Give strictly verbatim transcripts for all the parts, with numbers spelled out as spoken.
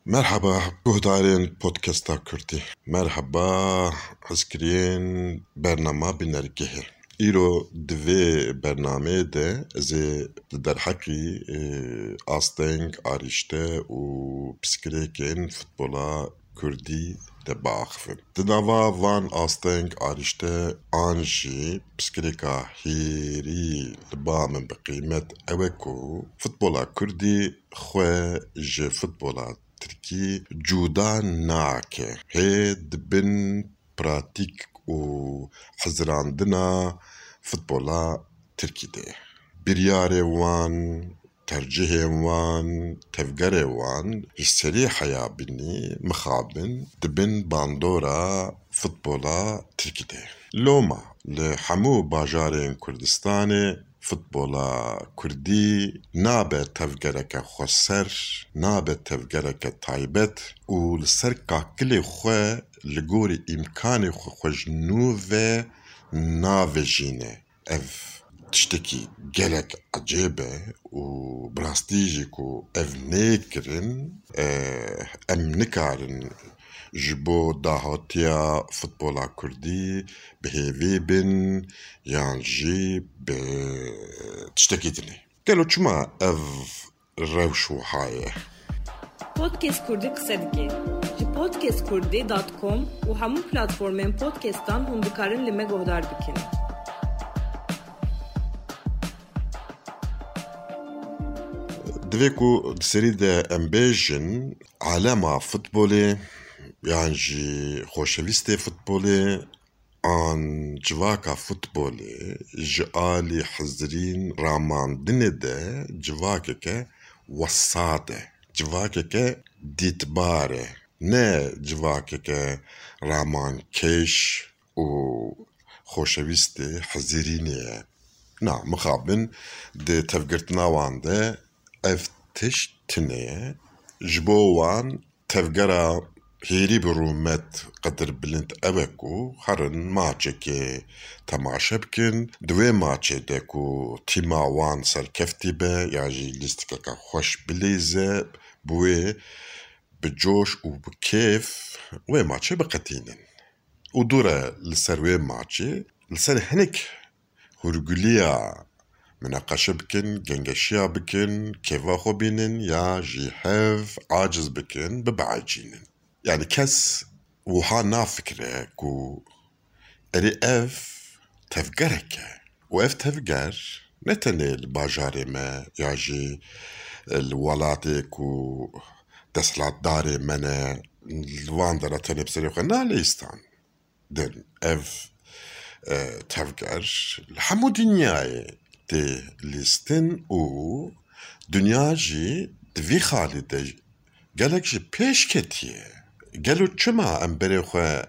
Merheba guhdarên Podcasta Kurdî. Merheba hizkiriyên bernama Bînergehê. Îro di vê bernameyê de ez ê di derheqî, e, asteng, arîşte û pirsgirêkên futbola kurdî de biaxivim. Di nava van asteng, arîşte an jî pirsgirêka hêrî li ba min bi qîmet ew e ku futbola kurdî xwe ji futbola tirkî cuda nake. Hê di bin pratîk û hizirandina futbola tirkî de ye. Biryarê wan, tercihên wan, tevgerê wan ji serî heya binî mixabin di bin bandora futbola tirkî de ye. Loma li hemû bajarên Kurdistanê futbola kurdî nabe tevgereke xweser, nabe tevgereke taybet û li ser kakilê xwe li gorî îmkanê xwe xwe ji nû ve navejîne. Ev tiştekî gelek ecêb e û bi rastî jî ku ev neyê kirin, e, em nikarin ji bo dahatiya futbola kurdî bi hêvî bin yan jî bi tiştekî dinê. Gelo çima ev rewş wiha ye? Podcast Kurdî qise dike. Ji podcast kurdî dot com û hemû platformên podcastan hûn dikarin li me guhdar bikin. Divê ku di serî de em bêjin, alema futbolê yan jî xoşewîstê futbolê an civaka futbolê ji alî hizirîn ramandinê de civakeke wesat e, civakeke dîtbar e, ne civakeke ramankêş û xoşewîstê hizirînê ye. Na, mixabin di tevgirtina wan de ev tişt tune ye. Ji bo wan tevgera hêrî bi rûmet qedirbilind ew e ku herin maçekê temaşe bikin. Di wê maçê de ku tîma wan serkeftî be ya jî lîstikeke xweş bilîze, bi wê bi coş û bi kêf wê maçê biqetînin. Û dû re li ser wê maçê, li ser hinek hûrgiliya mineqeşe bikin, gengeşiya bikin, kêfa xwe bînin ya jî hev aciz bikin, bibeecînin. Yanî kes wiha nafikire ku erê ev tevgerek e. Û ev tevger ne tenê li bajarê me ya jî li welatê ku desthilatdarê me ne, li wan dera tenê bi serê xwe nalîstan. Din ev, e, tevger li hemû dinyayê tê lîstin û dinya jî di vî xalî de gelek ji pêş ketiye. Gelo çima em berê xwe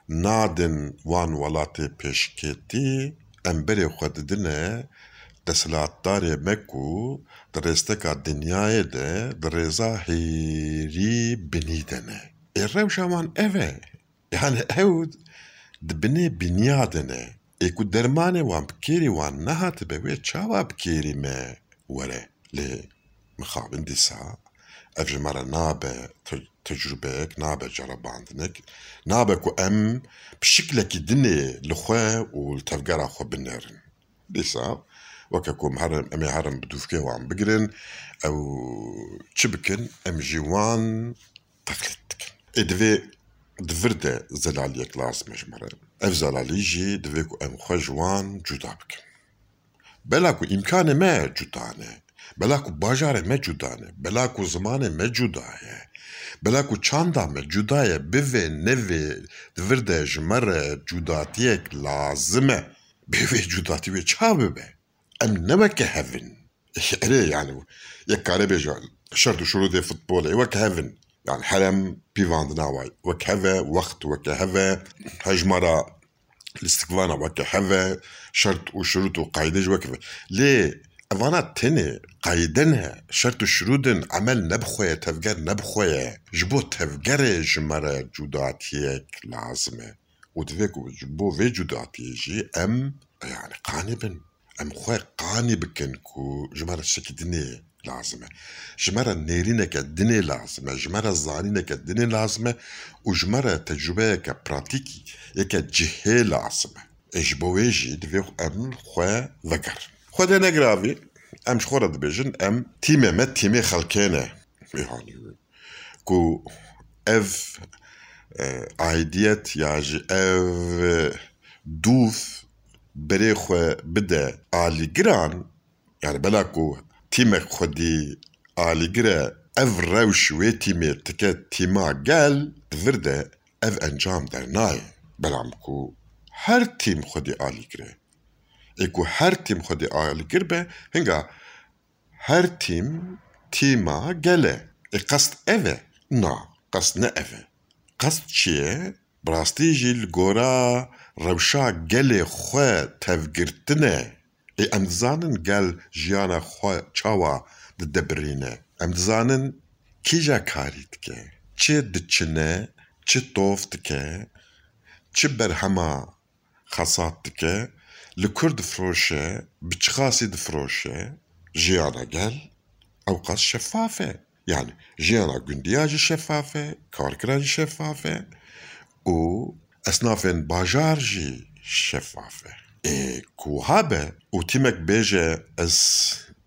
nadin wan welatê pêşketî? Em berê xwe didine desthilatdarê me ku di rêsteka dinyayê de di rêza hêrî binî de ne. Ê rewşa wan ev e. Yani ew di binê binya de ne. Ê ku dermanê wan bi kêrî wan nehatibe, wê çawa bi kêrî me were? Lê mixabin dîsa ev ji me re nabe te-, tecrubeyek, nabe cerebandinek, nabe ku em bi şiklekî dinê li xwe û li tevgera xwe binêrin. Dîsa weke ku em herin, em ê herin bi dûvkê wan bigirin, ew çi bikin, em jî wan teqlîd dikin. Ê divê di vir de zelaliyek lazim e ji me re. Ev zelalî jî divê ku em xwe ji wan cuda bikin. Bela ku îmkanê me cuda ne, bela ku bajarê me cuda ne, bela ku zimanê me cuda ye, bela ku çanda me cuda ye, bivê nevê di vir de ji me re cudatiyek lazim e. Bê vê cudatî wê çawa bibe? Em ne weke hev in. Erê, yani, yek kare bêje, şert û şurûdê futbolê wek hev in. Yani, herem pîvandina wayî wek hev e, wext weke hev e, hejmara lîstikvana weke hev e, şert û şurût û qayde jî wek hev e. Lê evana tenê qayde ne, şert û şurût in, emel ne bi xwe ye, tevger ne bi xwe ye. Ji bo tevgerê ji me re cudatiyek lazim e. Û divê ku ji bo vê cudatiyê jî em, yani, qanî bin. Em xwe qanî bikin ku ji me re tiştekî dinê lazim e. Ji me re nêrîneke dinê lazim e, ji me re zanîneke dinê lazim e û ji me re tecrûbeyeke pratîkî, yeke cihê lazim e. Ê ji bo wê jî divê em xwe vegerin. Xwedê negiravî, em ji xwe re dibêjin, em tîmê me tîmê xelkê ne. Yanî ku ev, e, aidiyet ya jî ev, e, dûv berê xwe bide alîgiran, yani bela ku tîmek xwedî alîgir e, ev rewş wê tîmê dike tîma gel, di vir de ev encam dernayê. Belam ku her tîm xwedî alîgir e. Ê ku her tîm xwedî alîgir be, hinga her tîm tîma gel e. Ê qest ev e? Na, qest ne ev e. Qest çi ye? Bi rastî jî li gora rewşa gelê xwe tevgirtin e. Ê em dizanin gel jiyana xwe çawa didebirîne. Em dizanin kîja karî dike, çi diçine, çi tov dike, çi berhema xesat dike, li kur difiroşe, bi çiqasî difiroşe. Jiyana gel ewqas şefaf e. Yani jiyana gundiya jî şefaf e, karkiran jî şefaf e û esnafên bajar jî şefaf e. Ê ku wiha be û tîmek bêje ez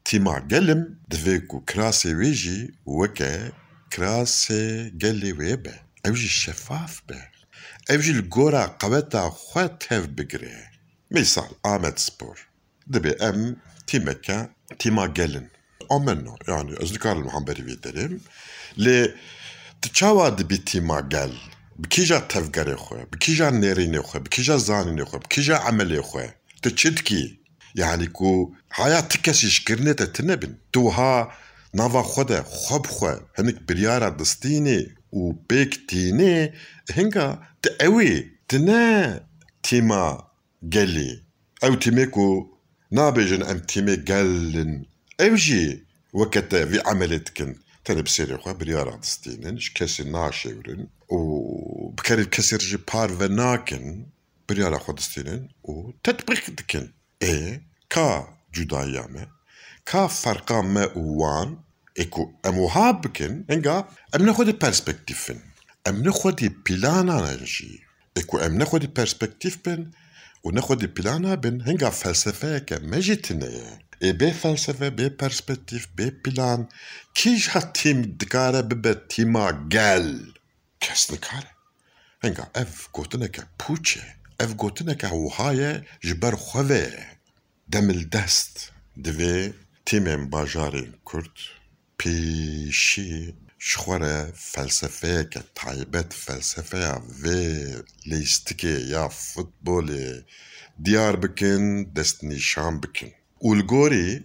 tîma gel im, divê ku kirasê wê jî weke kirasê gelê wê be. Ew jî şefaf be. Ew jî li gora qeweta xwe tev bigire. Mîsal, Amed Spor. Dibê em tîmeke, tîma gel in. Amenna, yani ez nikarim li hemberî vê derêm. Lê tu çawa dibî tîma gel? Bi kîja tevgerê xwe, bi kîja nêrînê xwe, bi kîja zanînê xwe, bi kîja emelê xwe? Tu çi dikî? Yani ku haya ti kesî ji kirinê te tune bin. Tu wiha nava xwe de xwe bi xwe hinik biryara distînê û pêk tînê, hinga tu ew î, tu ne tîma gelî. Ew tîmê ku nabêjin em tîmê gel in, ew jî weke te vî emelê dikin. Tenê bi sêrê xwe biryara distînin, ji kesî naşêwirin û bi kerê kesê re jî parve nakin, biryara xwe distînin û tetbîq dikin. Ê, ka cudayiya me, ka ferqa me û wan, ê ku em wiha bikin, hinga em ne xwedî perspektîf in. Em ne xwedî plana ne jî. Ê ku em ne xwedî perspektîf bin û ne xwedî plana bin, hinga felsefeyeke me jî tune ye. Ê bê felsefe, bê perspektîf, bê plan, kîja tîm dikare bibe tîma gel? Kes nikare. Hinga ev gotineke pûç e. Ev gotineke wiha ye ji ber xwe ve ye. Demildest divê tîmên bajarên Kurd pêşî ji xwe re felsefeyeke taybet, felsefeya vê leyîstikê ya futbolê diyar bikin, destnîşan bikin. Û li gorî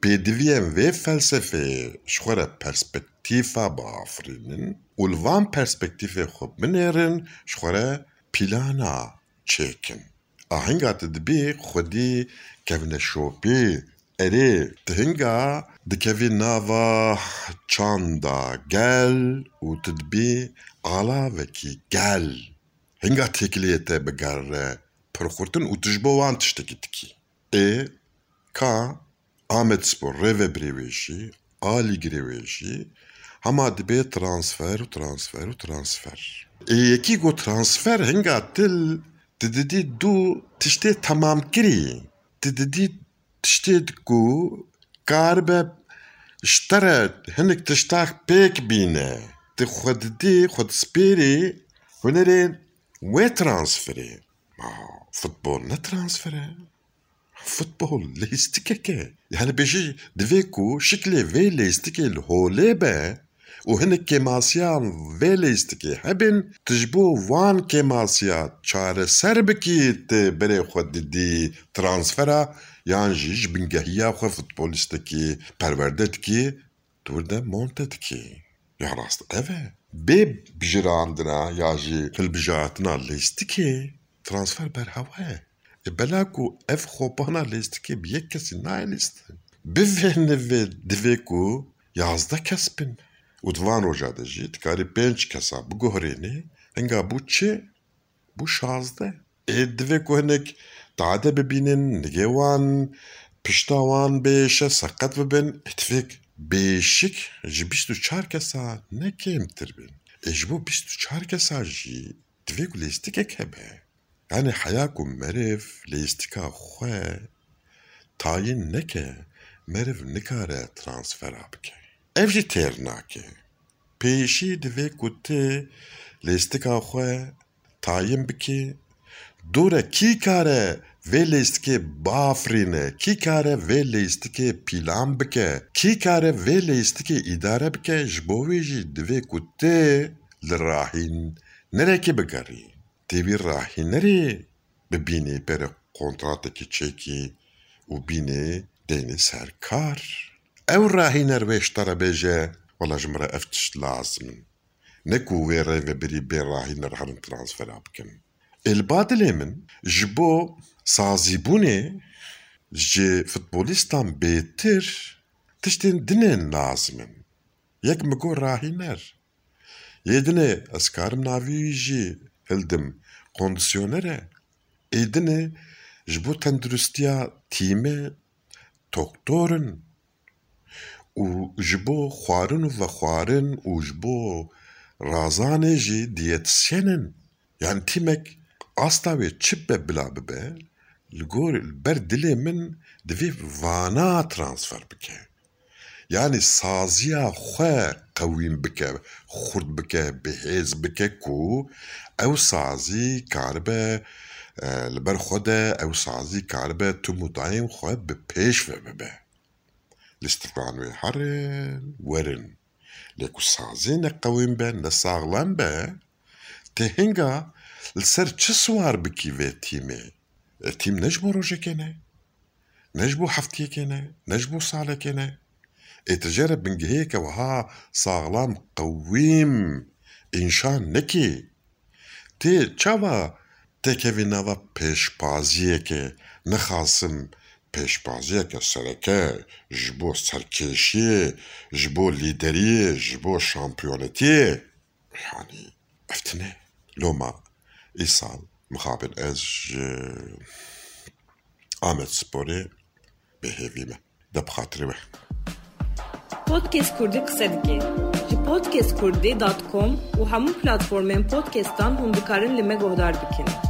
pêdiviyên vê felsefeyê ji xwe re perspektîfa biafirînin û li van perspektîfê xwe binêrin, ji xwe re plana çêkin. A hinga tu dibî xwedî kevneşopî, erê, tu hinga dikevî nava çanda gel û tu dibî alavekî gel. Hinga têkiliyê te bigerre pirxurtin û tu ji bo wan tiştekî dikî. Ê, ka Amedspor rêvebirê wê jî, alîgirê wê jî hema dibê transfer û transfer û transfer. Ê yekî got transfer hinga til, tu didî du tiştê temamkirî. Tu didî tiştê ku karibe ji te re hinek tiştak pêk bîne. Tu xwe didî, xwe dispêrî hunerê wê transferê. Ma futbol ne transfer e. Futbol leyîstikek e. Yani bêjî divê ku şiklê vê leyîstikê li holê be û hinek kêmasiyan vê leyîstikê hebin, tu ji bo wan kêmasiya çareser bikî, tu berê xwe didî transfera, yan jî ji bingehiya xwe futbolîstekî perwerde dikî, tu wir de monte dikî. Ya rast ev e. Bê bijirandina ya jî hilbijartina leyîstikê transfer berhewa ye. Ê bela ku ev xopana leyîstikê bi yek kesî nayê lîstin. Bi vê nivê divê ku yazdeh kes bin. Û di van roja de jî dikarî pênc kesa biguherînî. Hinga bû çi? Bû şazdeh. Ê divê ku hinek tade bibînin, nigê wan, pişta wan bêşe, seqet bibin. Ê divê bêşik ji bîst û çar kesa ne kêmtir bin. Ê ji bo bîst û çar kesa jî divê ku lêstikek hebe. Yanî heya ku meriv lêstika xwe tayîn neke, meriv nikare transfera bike. Ev jî têr nake. Pêşî divê ku tu lêstika xwe tayîn bikî, dûre kî kare vê lêstikê bafirîne, kî kare vê lêstikê pîlan bike, kî kare vê lêstikê îdare bike, ji bo wê jî divê ku tu li rahînerekê bigerî. Tê wî rahînerê bibînî pere kontratekî çêkî û bînê deynê ser kar. Ew rahîner wê ji te re bêje, wela ji min re ev tişt lazim in. Ne ku wê rêvebirî bê rahîner herin transfera bikin. Ê li ba dilê min ji bo sazîbûnê ji futbolistan bêtir tiştên dinên lazim in. Yek min got rahîner. Yê dinê ez karim navî wî jî hildim, kondisyoner e. Ê dinê ji bo tenduristiya tîmê doktor in û ji bo xwarin û vexwarin û ji bo razanê jî diyetisyen in. Yani tîmek asta wê çi be bila bibe, li gor, li ber dilê min divê vana transfer bike. Yani saziya xwe qewîn bike, xurt bike, bihêz bike ku ew sazî karibe, e, li ber xwe de ew sazî karibe tim û dayêm xwe bi pêş ve bibe. Lîstikvan wê herin, werin. Lê ku sazî ne qewîn be, ne saxlem be, tê hinga li ser çi siwar bikî vê tîmê? E, tîm ne ji bo rojekê ne, ne ji bo heftiyekê ne, ne ji bo salekê ne. Ê tu jê re bingehiyeke wiha saxlam, qewîm înşa nekî. Tê çawa têkevî nava pêşbaziyekê, nexasim pêşbaziyeke sereke ji bo serkêşiyê, ji bo lîderiyê, ji bo şampiyonetiyê? Yani ev tine. Loma îsal mixabin ez ji Amed Sporê bêhêvî me. De bi xatirê we. Podcast Kurdî qise dike. Ji podcast kurdî dot com û hemû platformên podcastan hûn dikarin li me guhdar bikin.